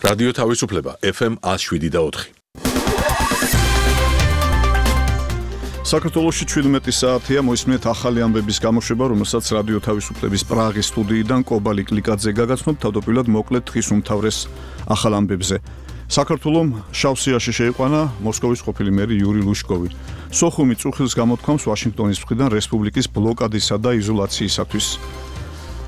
რადიო თავისუფლება FM 107.4. საქართველოში 17 საათია მოისმინეთ ახალი ამბების გამოშვება, რომელსაც რადიო თავისუფლების პრაღის სტუდიიდან კობალი კლიკაძე გაგაცნობთ. თავდაპირველად მოკლედ დღის უმთავრეს ახალ ამბებზე. საქართველომ შავსიაში შეიყვანა მოსკოვის ყოფილი მერი იური ლუშკოვი. სოხუმი წუხილს გამოთქვამს ვაშინგტონის მხრიდან რესპუბლიკის ბლოკადისა და იზოლაციისათვის.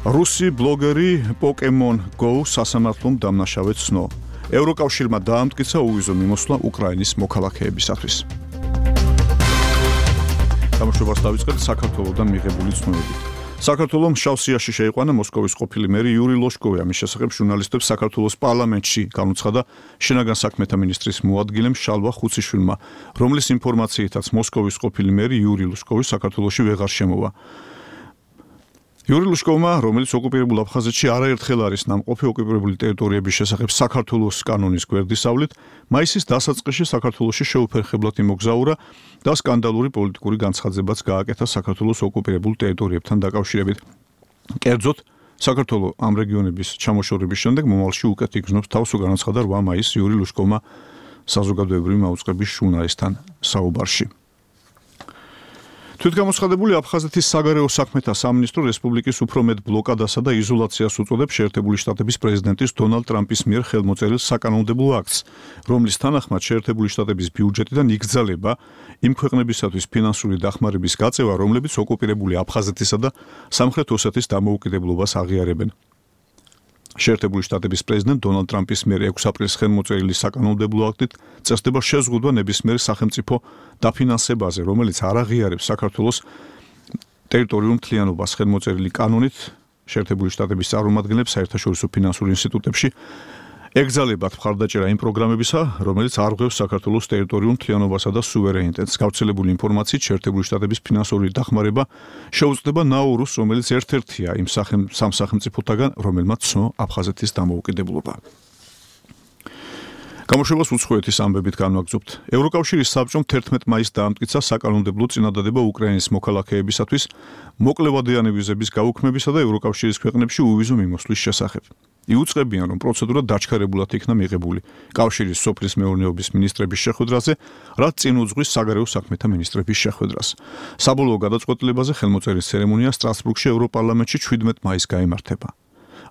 რუსი ბლოგერი Pokemon Go სასამართლომ დამნაშავედ ცნო. ევროკავშირმა დაამტკიცა უვიზო მიმოსვლა უკრაინის მოქალაქეებისათვის. გამოშვებას დავიწყებთ საქართველოსთან მიღებული ცნობებით. საქართველოს შავსიაში შეიყვანა მოსკოვის ყოფილი მერი იური ლუშკოვი. ამის შესახებ ჟურნალისტებს საქართველოს პარლამენტში განუცხადა შინაგან საქმეთა მინისტრის მოადგილემ შალვა ხუციშვილმა, რომლის ინფორმაციითაც მოსკოვის ყოფილი მერი იური ლუშკოვი საქართველოში ვეღარ შემოვა. იური ლუშკოვმა, რომელიც ოკუპირებულ აფხაზეთში არაერთხელ არის ნამყოფი ოკუპირებული ტერიტორიების შესახებ საქართველოს კანონის გვერდისავლით, მაისის დასაწყისში საქართველოში შეუფერხებლად იმოგზაურა და სკანდალური პოლიტიკური განცხადებაც გააკეთა საქართველოს ოკუპირებულ ტერიტორიებთან დაკავშირებით. კერძოდ, საქართველოს ამ რეგიონების ჩამოშორების შემდეგ მომავალში უკეთ იგრძნობს თავს, განაცხადა 8 მაისს იური ლუშკოვმა საზოგადოებრივი მაუწყების ჟურნალისტთან საუბარში. თვითგამოცხადებული აფხაზეთის საგარეო საქმეთა სამინისტრო რესპუბლიკის უფრო მეტ ბლოკადასა და იზოლაციას უწოდებს შეერთებული შტატების პრეზიდენტის დონალდ ტრამპის მიერ ხელმოწერილ საკანონმდებლო აქტს, რომლის თანახმად შეერთებული შტატების ბიუჯეტიდან იგრძალება იმ ქვეყნებისათვის ფინანსური დახმარების გაწევა, რომლებიც ოკუპირებული აფხაზეთისა და სამხრეთ ოსეთის დამოუკიდებლობას აღიარებენ. შეერთებული შტატების პრეზიდენტ დონალდ ტრამპის მიერ 6 აპრილს ხელმოწერილი საკანონმდებლო აქტით წესდება შეზღუდვა ნებისმიერ სახელმწიფო დაფინანსებაზე, რომელიც არ აღიარებს საქართველოს ტერიტორიულ მთლიანობას. ხელმოწერილი კანონით შეერთებული შტატების წარმომადგენლებს საერთაშორისო ფინანსურ ინსტიტუტებში ეგზალებათ მხარდაჭერა იმ პროგრამებისა, რომელიც არღვევს საქართველოს ტერიტორიულ მთლიანობასა და სუვერენიტეტს. გავრცელებული ინფორმაციით შეერთებული შტატების ფინანსური დახმარება შეუწყდება ნაურუს, რომელიც ერთ-ერთია იმ სამ სახელმწიფოთაგან, რომელმაც ცნო აფხაზეთის დამოუკიდებლობა. გამოშვებას უცხოეთის ამბებით განვაგრძობთ. ევროკავშირის საბჭომ 11 მაისს დაამტკიცა საკანონმდებლო წინადადება უკრაინის მოქალაქეებისათვის მოკლევადიანი ვიზების გაუქმებისა და ევროკავშირის ქვეყნებში უვიზო მიმოსვლის შესახებ. იუწყებიან, რომ პროცედურა დაჩქარებულად იქნა მიღებული კავშირის სოფლის მეურნეობის მინისტრების შეხვედრაზე, რაც წინ უძღვის საგარეო საქმეთა მინისტრების შეხვედრას. საბოლოო გადაწყვეტილებაზე ხელმოწერის ცერემონია სტრასბურგში ევროპარლამენტში 17 მაისს გაიმართება.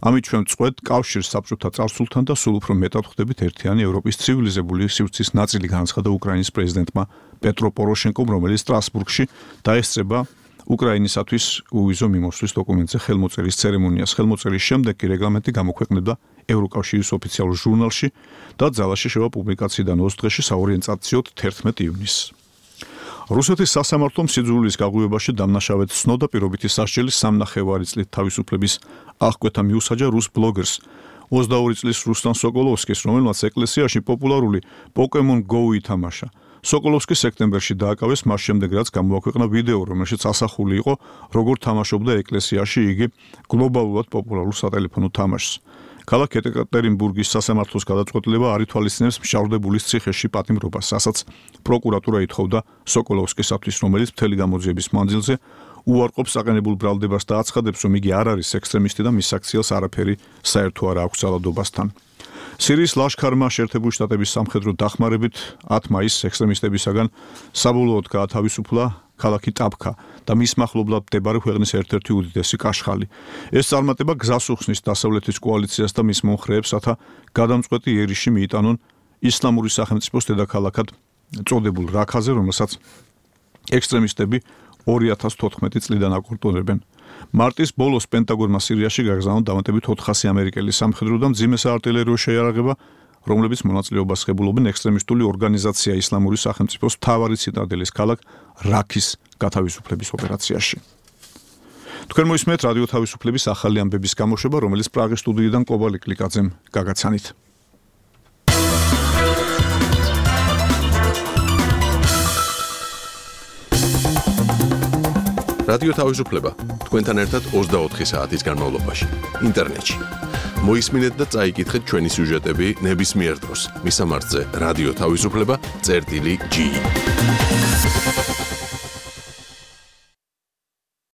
ამით ჩვენ წყვეთ კავშირს საბჭოთა წარსულთან და სულ უფრო მეტად ხვდებით ერთიანი ევროპის ცივილიზებული სივრცის ნაწილი, განაცხადა უკრაინის პრეზიდენტმა პეტრო პოროშენკომ, რომელიც სტრასბურგში დაესწრება უკრაინისათვის უვიზო მიმოსვლის დოკუმენტზე ხელმოწერის ცერემონიას. ხელმოწერის შემდეგ კი რეგლამენტი გამოქვეყნდა ევროკავშირის ოფიციალურ ჟურნალში და ძალაში შევა პუბლიკაციიდან 20 დღეში საორიენტაციოდ 11 ივნისს. რუსეთის სასამართლომ სიძულვილის გაღვივებაში დამნაშავედ ცნო და პირობითი სასჯელი 3.5 წლით თავისუფლების აღკვეთა მიუსაჯა რუს ბლოგერს 22 წლის რუსლან სოკოლოვსკის, რომელმაც ეკლესიაში პოპულარული Pokemon Go ითამაშა. სოკოლოვსკი სექტემბერში დააკავეს მას შემდეგ, რაც გამოაქვეყნა ვიდეო, რომელშიც ასახული იყო, როგორ თამაშობდა ეკლესიაში იგი გლობალურად პოპულარულ სატელეფონო თამაშს. ქალაქ ეკატერინბურგის სასამართლოს გადაწყვეტილება არ ითვალისწინებს მშავდებულის ციხეში პატიმრობას, რასაც პროკურატურა ითხოვდა სოკოლოვსკისათვის, რომელიც მთელი გამოძიების მანძილზე უარყოფს საყენებულ ბრალდებას და აცხადებს, რომ იგი არ არის ექსტრემისტი და მის აქციელს არაფერი საერთო არ აქვს ძალადობასთან. სირიის ლაშქარმა შეერთებული შტატების სამხედრო დახმარებით 10 მაისს ექსტრემისტებისაგან საბოლოოდ გაათავისუფლა ქალაქი ტაბქა და მის მახლობლად მდებარე ქვეყნის ერთ-ერთი უდიდესი კაშხალი. ეს წარმატება გზას უხსნის დასავლეთის კოალიციას და მის მომხრეებს, რათა გადამწყვეტი იერიში მიიტანონ ისლამური სახელმწიფოს დედაქალაქად წოდებულ რაქაზე, რომელსაც ექსტრემისტები 2014 წლიდან აკონტროლებენ. მარტის ბოლოს პენტაგონმა სირიაში გაგზავნა დამატებით 400 ამერიკელი სამხედრო და მძიმე საარტილერიო შეიარაღება, რომლებიც მონაწილეობას ღებულობენ ექსტრემისტული ორგანიზაცია ისლამური სახელმწიფოს მთავარი ციტადელის ქალაქ რაქის გათავისუფლების ოპერაციაში. თქვენ მოისმენთ რადიო თავისუფლების ახალი ამბების გამოშვება, რომელიც პრაღის სტუდიიდან კობალი კლიკაძემ გაგაცანით. რადიო თავისუფლება თქვენთან ერთად 24 საათის განმავლობაში ინტერნეტში. მოისმინეთ და წაიკითხეთ ჩვენი სიუჟეტები ნებისმიერ დროს. მისამართზე რადიო თავისუფლება.ge